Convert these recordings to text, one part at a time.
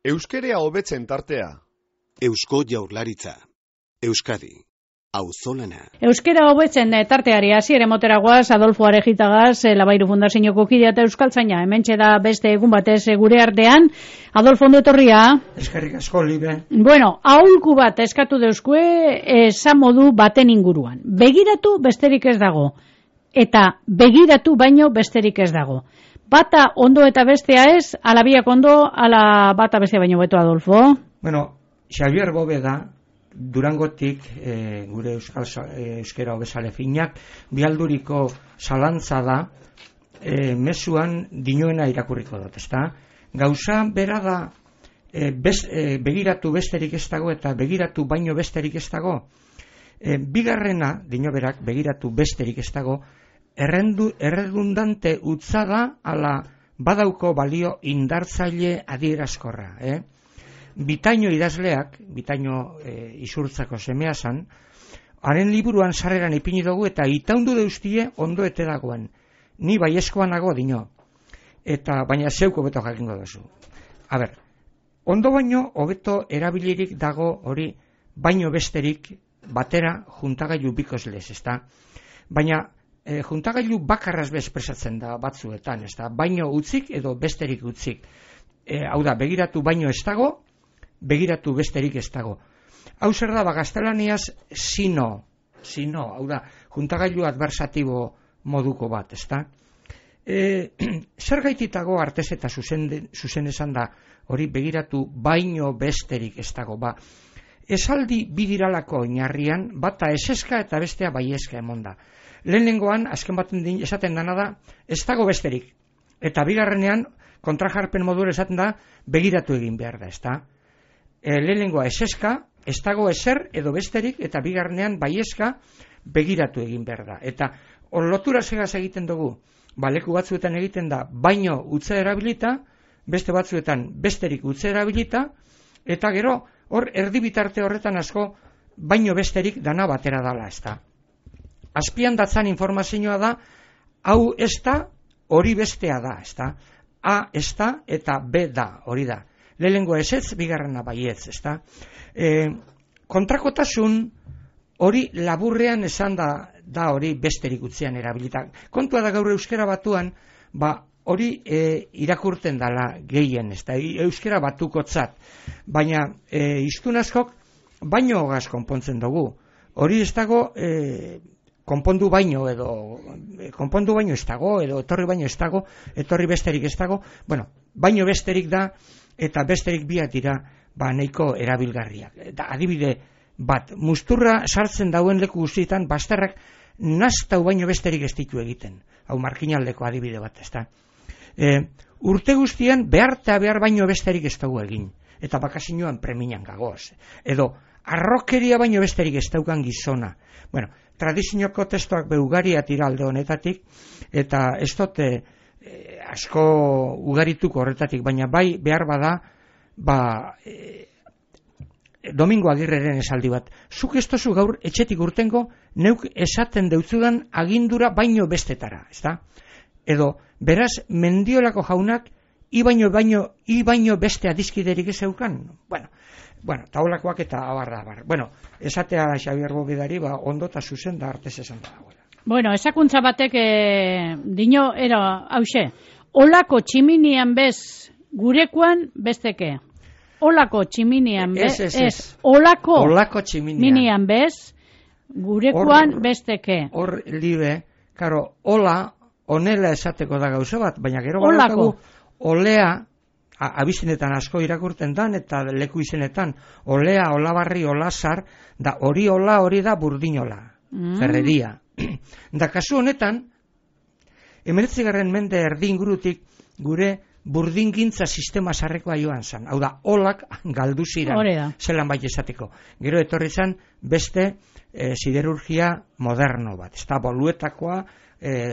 Euskerea hobetzen tartea. Eusko Jaurlaritza. Euskadi. Auzolana. Euskera hobetzen tarteari hasiere moteragoaz, Adolfo Arejitagaz, Labairu Fundazioko kidea eta euskaltzaina. Hementxe da beste egun batez gure artean. Adolfo, ondo etorria. Eskerrik asko, Libe. Bueno, aholku bat eskatu deuzkue esan modu baten inguruan. Begiratu besterik ez dago. Eta begiratu baino besterik ez dago. Bata ondo eta bestea ez, ala biak ondo, ala bata bestea baino beto, Adolfo. Bueno, Xavier Bóveda, Durangotik, gure euskera hobezale finak, bialduriko zalantza da, mezuan dinoena irakurriko dut, ezta? Gauza bera da, begiratu besterik ez dago eta begiratu baino besterik ez dago. Bigarrena, dino berak, begiratu besterik ez dago, erredundante utza da, ala badauko balio indartzaile adierazkorra, Bitaino idazleak, Bitaino izurtzako semea zan, haren liburuan sarreran ipini dugu eta itaundu deustie ondo ete dagoen. Ni baiezkoan nago dino. Eta baina zeuko beto jakingo duzu. A ber, ondo baino hobeto erabilirik dago hori baino besterik batera juntagailu bikozlez, ezta? Baina juntagailu bakarraz bezpresatzen da batzuetan, ezta? Baino utzik edo besterik utzik. Hau da, begiratu baino ez dago, begiratu besterik ez dago. Hau zer da, gaztelaniaz sino, hau da, juntagailu adversatibo moduko bat, ezta? Zer gaititago artez eta zuzen esan da, hori begiratu baino besterik ez dago, esaldi bidiralako inarrian, bata eseska eta bestea baiezka emonda. Lehenengoan, azken baten esaten dana da, ez dago besterik. Eta bigarrenean, kontrajarpen modura esaten da, begiratu egin behar da, ezta? Lehenengoa eseska, ez dago ezer edo besterik, eta bigarrenean baiezka begiratu egin behar da. Eta lotura segaz egiten dugu, leku batzuetan egiten da baino utze erabilita, beste batzuetan besterik utze erabilita, eta gero hor erdibitarte horretan asko baino besterik dana batera dala, ez da. Azpian datzan informazioa da, hau ez da, hori bestea da, ez da. A ez da eta B da, hori da. Lehenengo ezetz, bigarrena baietz, ezta? Kontrakotasun hori laburrean esan da hori besterik utzean erabilitak. Kontua da gaur euskera batuan, hori irakurten dala gehien, ezta? Euskera batukotzat. Baina hiztun askok baino hogaz konpontzen dugu. Hori ez dago konpondu baino ez dago, edo etorri baino ez dago, etorri besterik ez dago, baino besterik da, eta besterik biak dira nahiko erabilgarriak. Eta adibide bat, musturra sartzen dauen leku guztietan, bazterrak naztau baino besterik ez ditu egiten. Hau markinaldeko adibide bat, ezta. Urte guztian behar baino besterik ez dugu egin. Eta bakasinoan preminan gagoz. Edo, arrokeria baino besterik ez daukan gizona. Tradizioko testuak beugariat iralde honetatik, eta ez dute asko ugarituko horretatik, baina bai behar bada, Domingo Agirreren esaldi bat. Zuk ez tozu gaur etxetik urtengo, neuk esaten deutzudan agindura baino bestetara, ezta? Edo, beraz, Mendiolako jaunak, i baino beste adizkiderik ez eukan? Taulakoak eta abar. Esatea Xavier Bóvedari, ondo eta zuzen da artez esan da. Esakuntza batek dino era hause. Olako tximinian bez gurekoan besteke. Olako tximinian bez. Ez. Olako tximinian bez gurekoan besteke. Hor libe, karo, ola, onela esateko da gauza bat, baina gero balakagu olea, abizenetan asko irakurten dan, eta leku izenetan, olea, olabarri, olazar, da hori ola, hori da burdinola, ferreria. Da kasu honetan, 19. mende erdi ingurutik gure burdingintza sistema sarrekoa joan zan. Hau da, olak galdu ziren, zelan bai esateko. Gero etorri zan beste siderurgia moderno bat. Ez da, boluetakoa,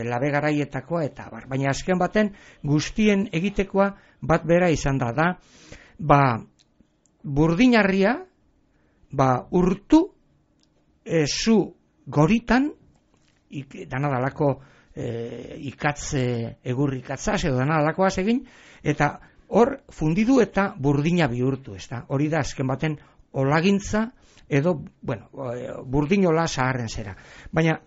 labe garaietakoa eta bar. Baina azken baten guztien egitekoa bat bera izan da, burdinarria, urtu, zu goritan, dana dalako ikatze egurrikatzaz edo dana dalakoaz egin, eta hor fundidu eta burdina bihurtu, ezta? Hori da azken baten olagintza edo, bueno, burdinola zaharren zera. Baina,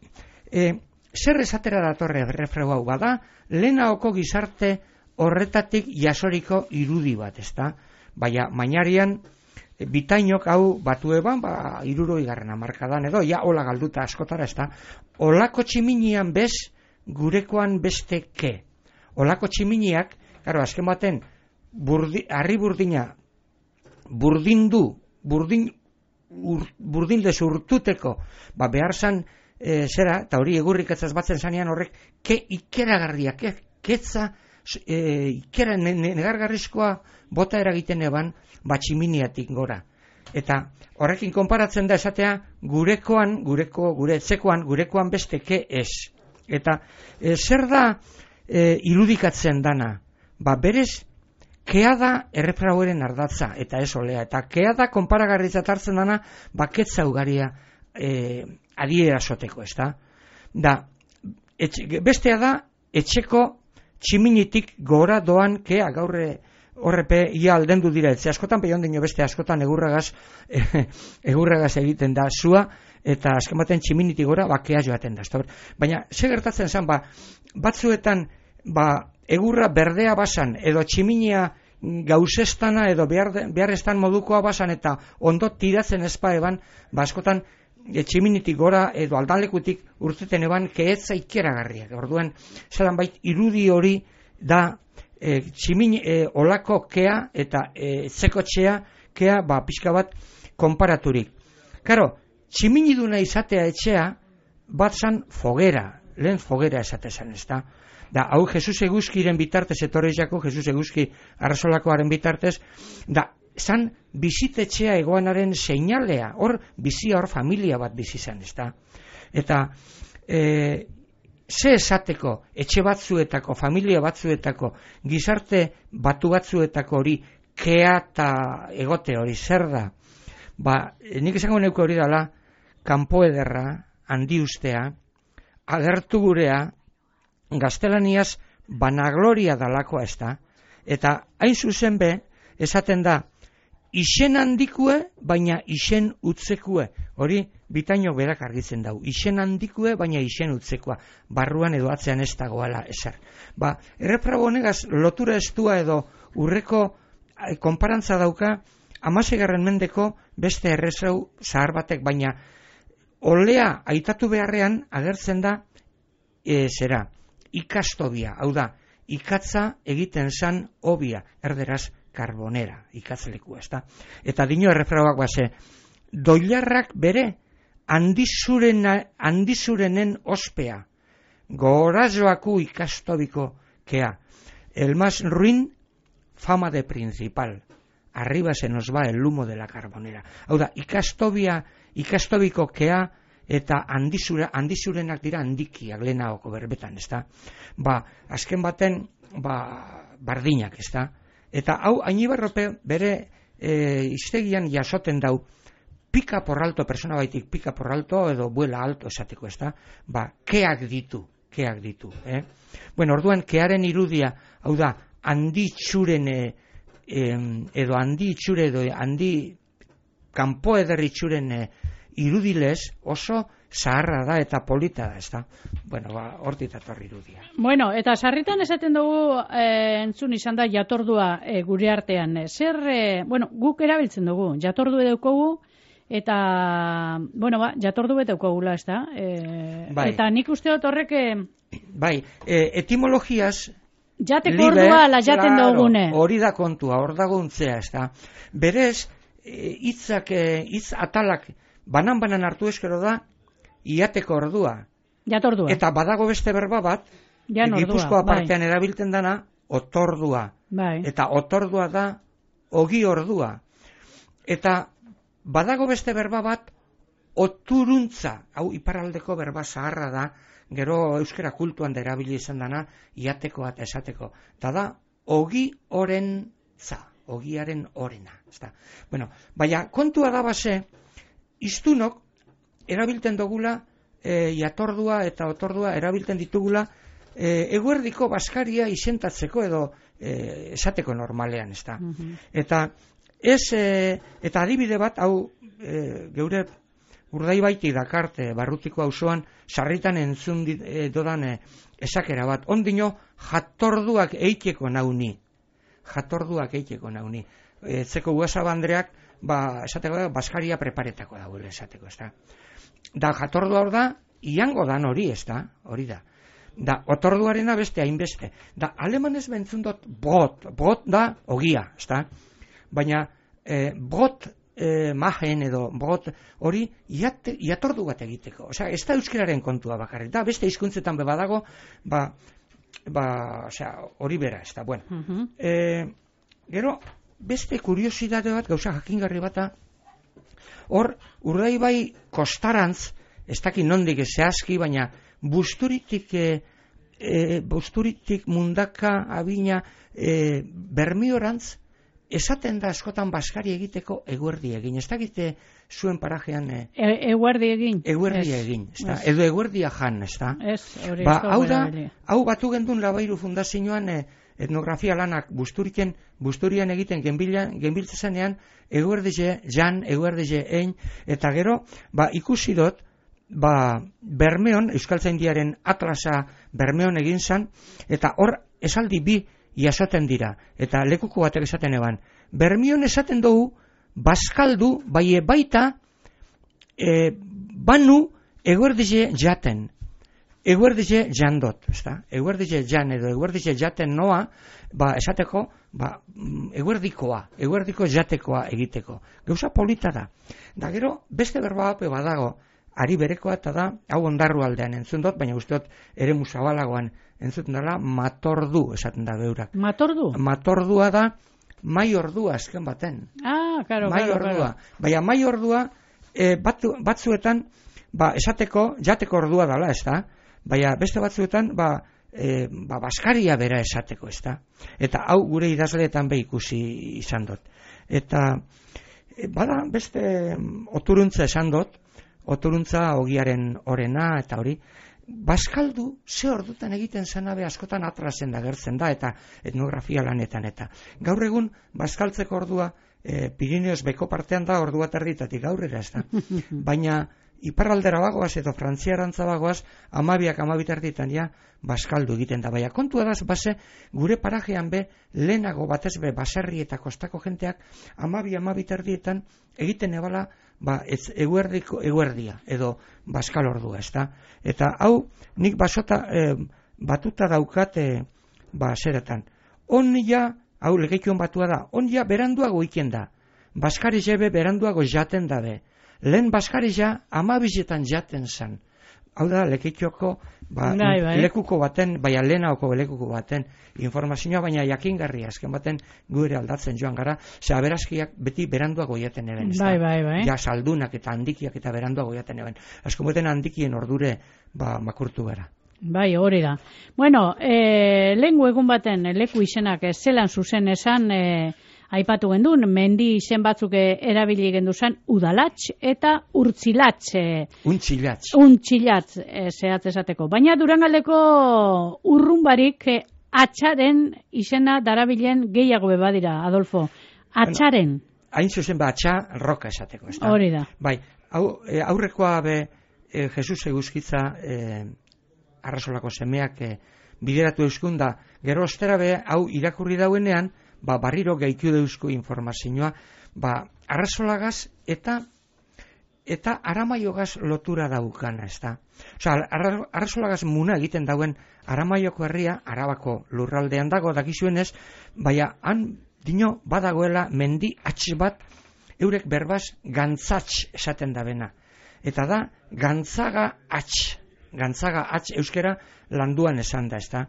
zer esatera datorre refregu hau bada, lehenaoko gizarte horretatik jasoriko irudi bat, ezta? Baina, mainarian, bitainok hau batu eban, 60. hamarkadan edo, ja hola galduta askotara, ezta? Olako tximinian bez, gurekoan beste ke. Olako tximiniak, claro, azken baten, harri burdina, burdindez urtuteko, behar zan, zera, eta hori egurrik etzaz batzen zanean horrek, ke ikeragarria, ketza, ikera negargarrizkoa bota eragiten eban, tximiniatik gora. Eta horrekin konparatzen da esatea, gure etzekoan, gurekoan beste ke ez. Eta zer da irudikatzen dana? Berez, kea da errefraueren ardatza, eta ez olea. Eta kea da konparagarritzat hartzen dana, ketza ugaria adierasoteko, ez da? Bestea da, etxeko tximinitik gora doan kea, gaurre horrepe ia aldendu dira, etxe askotan, peion dino beste askotan egurragaz egiten da zua, eta azken baten tximinitik gora bakea joaten da. Baina, ze gertatzen zen, batzuetan, egurra berdea basan, edo tximinia gauzestana, edo beharrestan modukoa basan, eta ondo tiratzen ezpa eban, askotan, tximinitik gora, edo aldalekutik urteten eban, keetza ikeragarriak. Orduan, zelan bait, irudi hori da, olako kea eta zekotxea kea pixka bat konparaturik. Karo, tximiniduna izatea etxea bat zan fogera, lehen fogera esatezan, ez da? Hau Jesus Eguzkiren bitartez, etorreizako Jesus Eguzki arrazolakoaren bitartez, zan bizitetxea egoanaren seinalea, hor bizia, hor familia bat bizizan, ez da? Eta, ze esateko, etxe batzuetako, familia batzuetako, gizarte batu batzuetako hori, kea eta egote hori, zer da? Nik esango neuke hori dela, kanpo ederra, handi ustea, agertu gurea, gaztelaniaz, banagloria dalakoa ez da, eta hain zuzen be, esaten da, isen handikue, baina isen utzekue. Hori, bitaino berak argitzen dau. Isen handikue, baina isen utzekua. Barruan edo atzean ez dagoala eser. Errefrago honegaz, lotura estua edo urreko konparantza dauka, 16. mendeko beste errezau zahar batek, baina olea aitatu beharrean agertzen da, ikastobia. Hau da, ikatza egiten zan obia, erderaz, karbonera, ikatzeleku, ez da? Eta dino errefrauak doilarrak bere handizurenen ospea, gorazoaku ikastobiko kea, el más ruin fama de principal, arriba se nos va el humo de la carbonera. Hau da, ikastobiko kea eta handizurenak dira handikiak lehenago berbetan, ez da? Azken baten, bardinak, ez da? Eta hau, Ainibarrope bere iztegian jasoten dau, pika por alto, persona baitik pika por alto, edo buela alto esateko, ez da? Keak ditu. Bueno, orduan, kearen irudia, hau da, handi itxure edo handi kanpo ederri itxuren irudilez oso zaharra da eta polita da, ez da? Bueno, hortik datorri irudia. Bueno, eta sarritan esaten dugu entzun izan da jatordua gure artean. Guk erabiltzen dugu, jatordu edaukogu, eta, jatordu edaukogula, ez da? Eta nik uste dut horrek... Etimologiaz... Jateko ordua la jaten dugune. Hori da kontua, hor daguntzea, ez da? Berez, hitz atalak banan hartu eskero da, iateko ordua. Jatordua. Eta badago beste berba bat, Gipuzkoa partean erabiltzen dana, otordua. Eta otordua da, ogi ordua. Eta badago beste berba bat, oturuntza. Hau, iparraldeko berba zaharra da, gero euskera kultuan da erabili izan dana, iateko eta esateko. Eta da, ogi orentza. Ogiaren orena. Bueno, baina kontua da iztunok erabilten dugula jatordua eta otordua erabilten ditugula eguerdiko baskaria isentatzeko edo esateko normalean, ez da. Eta eta adibide bat, hau geure Urdaibaitik dakarte, Barrutiko auzoan sarritan entzun dodan esakera bat. Ondino jatorduak eiteko nauni. Etzeko Uazabandreak, esateko Baskaria preparetako dagoela esateko, ez da. Da jatordua hor da, iango dan hori, ez da, hori da. Da, otorduarena beste hainbeste. Da, alemanez bentzun dut bot da ogia, ez da. Baina, bot mahen edo bot hori jatordu bat egiteko. Osea, ez da euskararen kontua bakarrik. Da, beste hizkuntzetan badago, hori bera, ez da. Bueno, gero, beste kuriosidade bat, gauza jakingarri bata, hor, Urdaibai kostarantz, ez dakit nondik zehazki, baina Busturitik Mundaka, Abina, Bermiorantz, esaten da askotan Baskari egiteko eguerdi egin. Ez dakite zuen parajean... Eguerdi egin. Eguerdi egin, ez da. Edo eguerdia jan, ez da. Hau da, hau batu gendun Labairu Fundazioan etnografia lanak Busturian egiten genbiltzezanean eguerdize jan, eguerdize ein, eta gero, ikusi dut, Bermeon, Euskaltzaindiaren atlasa Bermeon egin zan, eta hor esaldi bi jasoten dira, eta lekuko batek esaten eban. Bermion esaten dugu, Baskaldu, baita, banu eguerdize jaten. Eguerdize jandot, ezta? Eguerdize jan edo eguerdize jaten noa, esateko, eguerdiko jatekoa egiteko. Gauza polita da. Da gero, beste berba hape badago, ari berekoa eta da, hau Ondarru aldean entzun dut, baina usteot ere musabalagoan entzuten dela, matordu esaten da beurak. Matordu? Matordua da, mai ordua azken baten. Karo. Baina mai ordua, batzuetan, esateko, jateko ordua dela, ez da? Baina beste batzuetan, Baskaria bera esateko, ez da? Eta hau gure idazleetan ikusi izan dut. Eta, beste oturuntza esan dut, oturuntza ogiaren orena eta hori, Baskaldu ze ordutan egiten zanabe askotan atrasen da gertzen da eta etnografia lanetan eta. Gaur egun Baskaltzeko ordua Pirineos beko partean da ordua terditatik aurrera ez da. Baina iparraldera bagoaz edo frantziarantza bagoaz 12 erditan ja Baskaldu egiten da. Baina kontua da base gure parajean be lehenago batez be baserri eta kostako jenteak 12 erdietan egiten ebala eguerdia edo Baskal ordua, ez da? Eta hau nik batuta daukate zeretan. Hau legeikon batua da, ja beranduago iken da. Baskari jebe beranduago jaten dabe. Lehen Baskari ja 12etan jaten zan. Hau da legeikoko lekuko baten, lehenaoko lekuko baten informazioa, baina jakingarria azken baten gure aldatzen joan gara, ze aberazkiak beti beranduago jaten eben. Bai. Ja saldunak eta handikiak eta beranduago jaten eben. Azken baten handikien ordure makurtu gara. Bai, hori da. Bueno, lehengo egun baten leku izenak zelan zuzen esan aipatu gendun, mendi izen batzuk erabili gendu zen udalatx eta urtzilatx. Untxilatx zehatz esateko. Baina Durangaldeko urrunbarik atxaren izena darabilen gehiago badira, Adolfo. Atxaren. Hain zuzen atxa roka esateko. Hori da. Bai, aurrekoa Jesus Eguzkitza Arrasolako semeak bideratu euskun da, gero ostera hau irakurri dauenean, barriro gehitu deuzko informazioa, Arrasolagaz eta Aramaiogaz lotura daukana, ez da. Arrasolagaz muna egiten dauen Aramaioko herria, Arabako lurraldean dago, dakizuenez, baina han dino badagoela mendi atx bat, eurek berbaz gantzatx esaten dabena. Eta da, gantzaga atx euskera landuan esan da, ez da.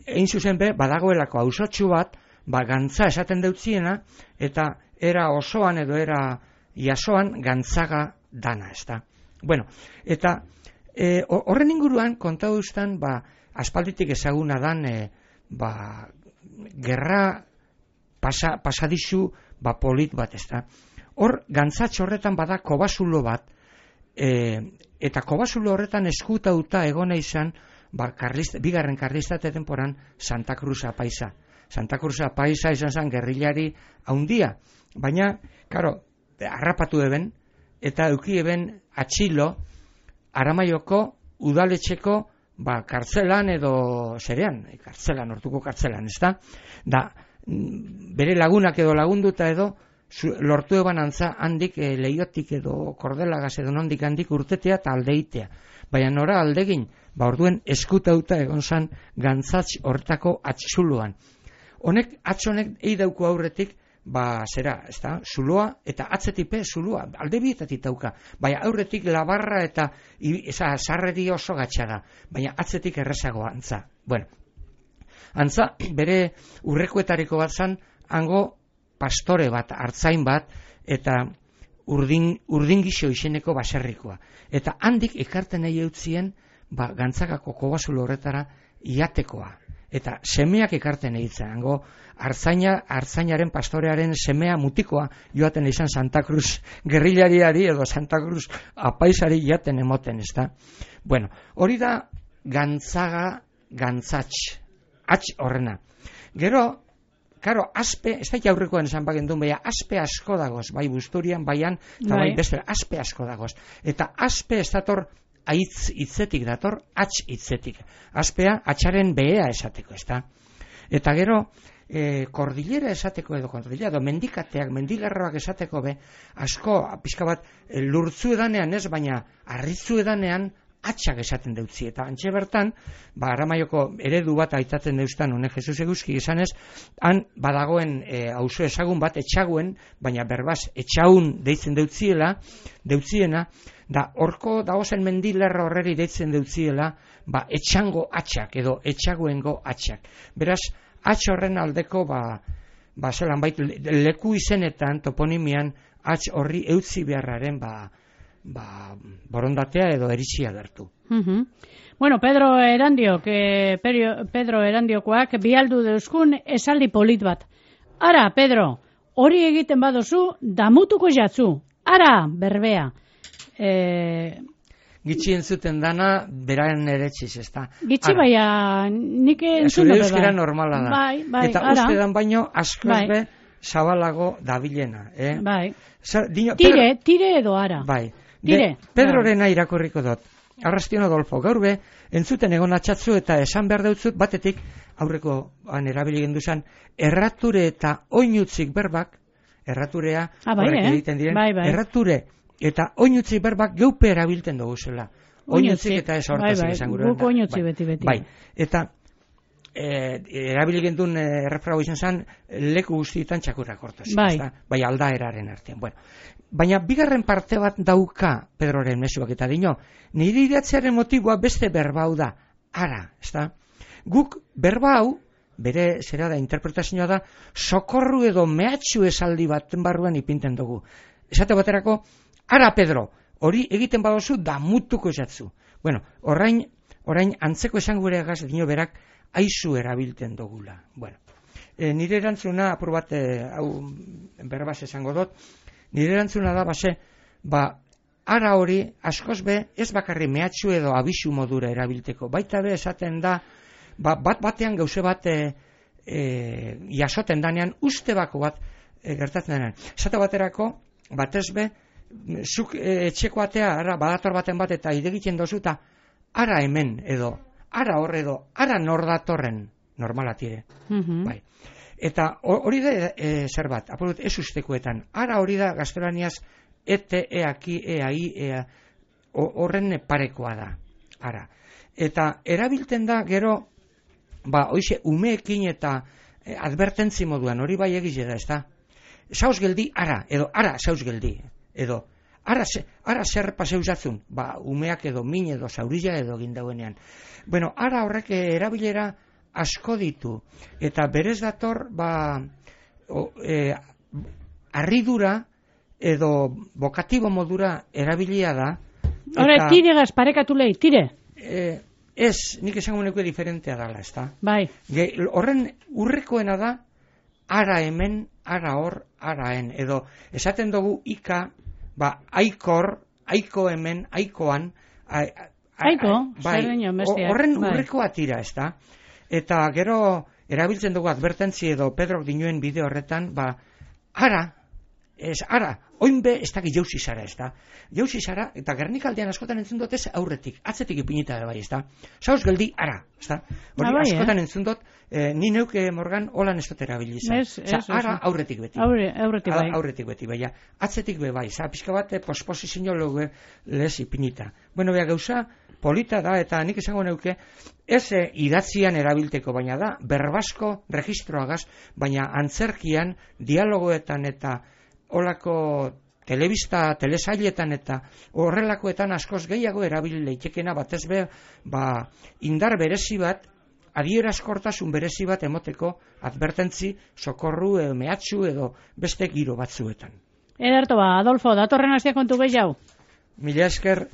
Egin zuzen badagoelako hausotxu bat, gantza esaten deutziena, eta era osoan edo era jasoan gantzaga dana, ez da. Bueno, eta horren inguruan konta duztan, aspalditik ezaguna dan, gerra pasadizu polit bat, ez da. Hor, gantzatx horretan bada kobazulo bat, eta kobazulo horretan eskutauta egona izan, bigarren karlistate temporan Santa Cruz apaisa. Santa Cruz Apaiza izan zen gerrilari haundia, baina, karo, harrapatu eben, eta euki eben atxilo Aramaioko udaletxeko kartzelan edo zerean, kartzelan, hortuko kartzelan, ez da? Da, bere lagunak edo lagunduta edo, lortu eban antza handik leiotik edo kordelagaz edo nondik handik urtetea eta aldeitea. Baina nora aldegin, orduen eskutauta egon zan gantzatx hortako atxuluan. Honek, atxonek eidauko aurretik, zera, ez da, zuloa, eta atzetipe zuloa, alde bietatik dauka. Baina aurretik labarra eta sarreri oso gatsa da, baina atzetik errezagoa antza. Bueno, antza, bere urrekoetariko bat zan, hango pastore bat, artzain bat, eta urdingixo izeneko baserrikoa. Eta handik ekarten nahi eutzien, gantzakako kobazulo horretara iatekoa. Eta semeak ekarten eitzen, hango artzainaren pastorearen semea mutikoa joaten izan Santa Cruz gerrilariari edo Santa Cruz apaizari jaten emoten, ez da? Bueno, hori da gantzatx, atx horrena. Gero, karo, aspe, ez da jaurrekoan esan bagendun, baina aspe asko dagoz, bai Busturian, baian, eta bai beste, aspe asko dagoz. Eta aspe ez dator aitz hitzetik dator, atx hitzetik. Aspea, atxaren behea esateko, ez da? Eta gero, kordilera esateko edo mendikateak, mendilerroak esateko asko, pixka bat, lurtzu edanean ez, baina arritzu edanean atxak esaten deutzi. Eta antxe bertan, Aramaioko eredu bat aitatzen deustan, honek Jesus Eguzki izanez, han badagoen auzo ezagun bat etxaguen, baina berbaz etxaun deitzen deutziena, da horko dagozen mendilerro horreri deitzen deutziela, etxango atxak edo etxaguengo atxak. Beraz, atx horren aldeko, zelan bait, leku izenetan, toponimian, atx horri eutzi beharraren, borondatea edo eritxia gertu. Bueno, Pedro Erandiokoak bialdu deuskun esaldi polit bat. Ara, Pedro, hori egiten badozu, damutuko jatzu. Ara, berbea. Gitxi entzuten dana, beraren eretxiz, ez da. Gitxi baina, nik entzun zure euskera normala da. Bai, eta uste dan baino, askoz be, zabalago dabilena. Bai. Tire edo ara. Bai. Tire. Pedrorena irakurriko dut. Arrastion Adolfo, gaur be, entzuten egon atxatzu eta esan behar dautzut, batetik, aurreko erabili genduzan, errature eta oinutzik berbak, erraturea, horrek egiten diren, errature eta oinutzik berbak geupe erabilten dugu zela. Oinutzik eta ez hortazik esan gure. Guk oinutzik beti. Bai, eta erabili gendun errefrago izan zen, leku guztietan txakurrak hortazik. Bai, aldaeraren artean. Bueno, baina bigarren parte bat dauka Pedroren mezuak eta dino, nire idatzearen motiboa beste berbau da, ara, ez da? Guk berbau, bere zera da, interpretazioa da, sokorru edo mehatxu esaldi baten barruan ipinten dugu. Esate baterako, ara Pedro, hori egiten badozu damutuko esatzu. Bueno, orain antzeko esan gure egaz dino berak aizu erabilten dugula. Bueno, nire erantzuna, apur bat, hau berbaz esango dut, nire erantzuna da, ara hori, askoz be, ez bakarri mehatxu edo abisu modura erabilteko. Baita be esaten da, batean gauze bat jasoten danean, uste bako bat gertatzen denean. Esate baterako, batez be, zuk etxeko atea, badator baten bat eta idegiten dozu eta ara hemen edo, ara hor edo, ara nor datorren normala tire. Bai. Eta hori da zer bat, apurut ez ustekoetan, ara hori da gaztelaniaz ete, eaki, eai, horren parekoa da, ara. Eta erabilten da gero, hoize umeekin eta advertentzi moduan, hori bai egize da, ez da? Sauz geldi, ara, edo ara sauz geldi, edo ara zer paseusatzun, umeak edo min edo zaurilla edo gindauenean. Bueno, ara horrek erabilera asko ditu, eta berez dator, arridura edo bokatibo modura erabilia da. Hore, tire gaz, parekatu lehi, tire. Ez, nik esango neko diferentea dala, ez da? Bai. Horren urrekoena da, ara hemen, ara hor, araen, edo esaten dugu ika, aikor, aiko hemen, aikoan, aiko, zer dino, bestia. Horren urrekoa tira, ez da? Eta gero, erabiltzen dugu advertentzi edo Pedrok dinuen bideo horretan, ara, oinbe ez dakit jauzi zara, ez da. Jauzi zara, eta Gernikaldean askotan entzun dut ez aurretik, atzetik ipinita da bai, ez da. Zauz geldi, ara, ez da. Hori askotan entzun dut, ni neuke Morgan holan ez dut erabilizan. Ara aurretik beti. Aurretik beti, bai. Atzetik be bai, pixka bat posposizio lez ipinita. Bueno, gauza polita da, eta nik esango neuke, ez idatzian erabilteko, baina da, berbasko registroagaz, baina antzerkian, dialogoetan eta olako telebista, telesailetan eta horrelakoetan askoz gehiago erabil leitekena batez be, indar berezi bat, adierazkortasun berezi bat emoteko advertentzi, sokorru, mehatxu edo beste giro batzuetan. Ederto Adolfo, datorren hastia kontu gehiago. Mila esker.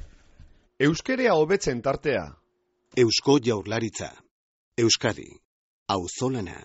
Euskerea hobetzen tartea. Eusko Jaurlaritza. Euskadi. Auzolana.